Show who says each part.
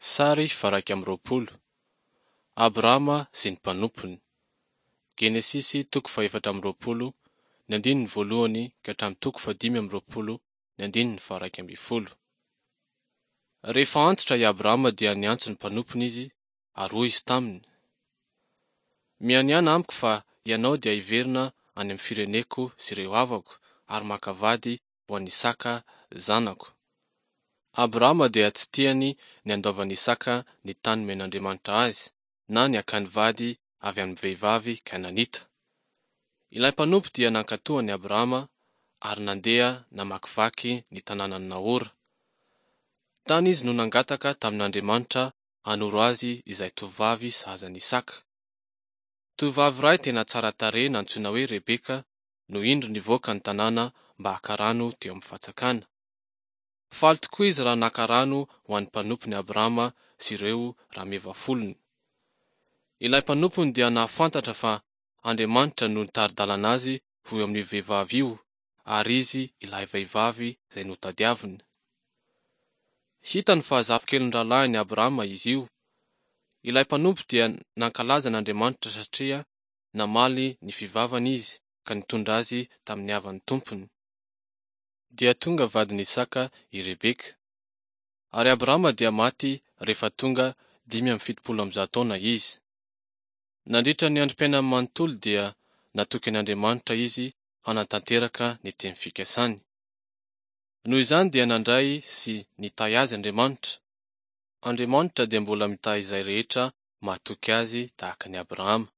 Speaker 1: Sary faha-21. Abrahama sy ny mpanompony. Genesisy toko faha-24, ny andininy voalohany ka hatramin'ny toko faha-25, ny andininy faha-11. Rehefa antitra i Abrahama dia niantso ny mpanompony izy ary hoy izy taminy, Mianiàna amiko fa ianao dia hiverina any amin'ny fireneko sy ireo havako ary maka vady ho an'i Isaka zanako. Abrahama dia tsy tiany ny handaovan'i Isaka ny tany nomen'Andriamanitra azy, na ny hakany vady avy amin'ny vehivavy Kananita. Ilay mpanompo dia nankatò an'i Abrahama ary nandeha namakivaky ny tanànan'i Nahora. Tany izy no nangataka tamin'Andriamanitra hanoro azy izay tovovavy sahaza an'i Isaka. Tovovavy iray tena tsara tarehy nantsoina hoe Rebeka no indro nivoaka ny tanàna mba haka rano teo amin'ny fatsakana. Faly tokoa izy raha naka rano ho an'ny mpanompony Abrahama sy ireo rameva folony. Ilay mpanompony dia nahafantatra fa Andriamanitra no nitari-dalana azy ho eo amin'io vehivavy io ary izy ilay vehivavy izay notadiaviny. Hitany fa zafikelin'ny rahalahiny Abrahama izy io. Ilay mpanompo dia nankalaza an'Andriamanitra satria namaly ny fivavany izy ka nitondra azy tamin'ny havan'ny tompony. Dia tonga vadin'i Isaka i Rebeka. Ary Abrahama dia maty rehefa tonga 175 taona izy. Nandritra ny androm-piainany manontolo dia natoky an' Andriamanitra izy hanatanteraka ny teny fikasany. Noho izany dia nandray sy nitahy azy Andriamanitra. Andriamanitra dia mbola mitahy izay rehetra mahatoky Azy tahaka an'i Abrahama.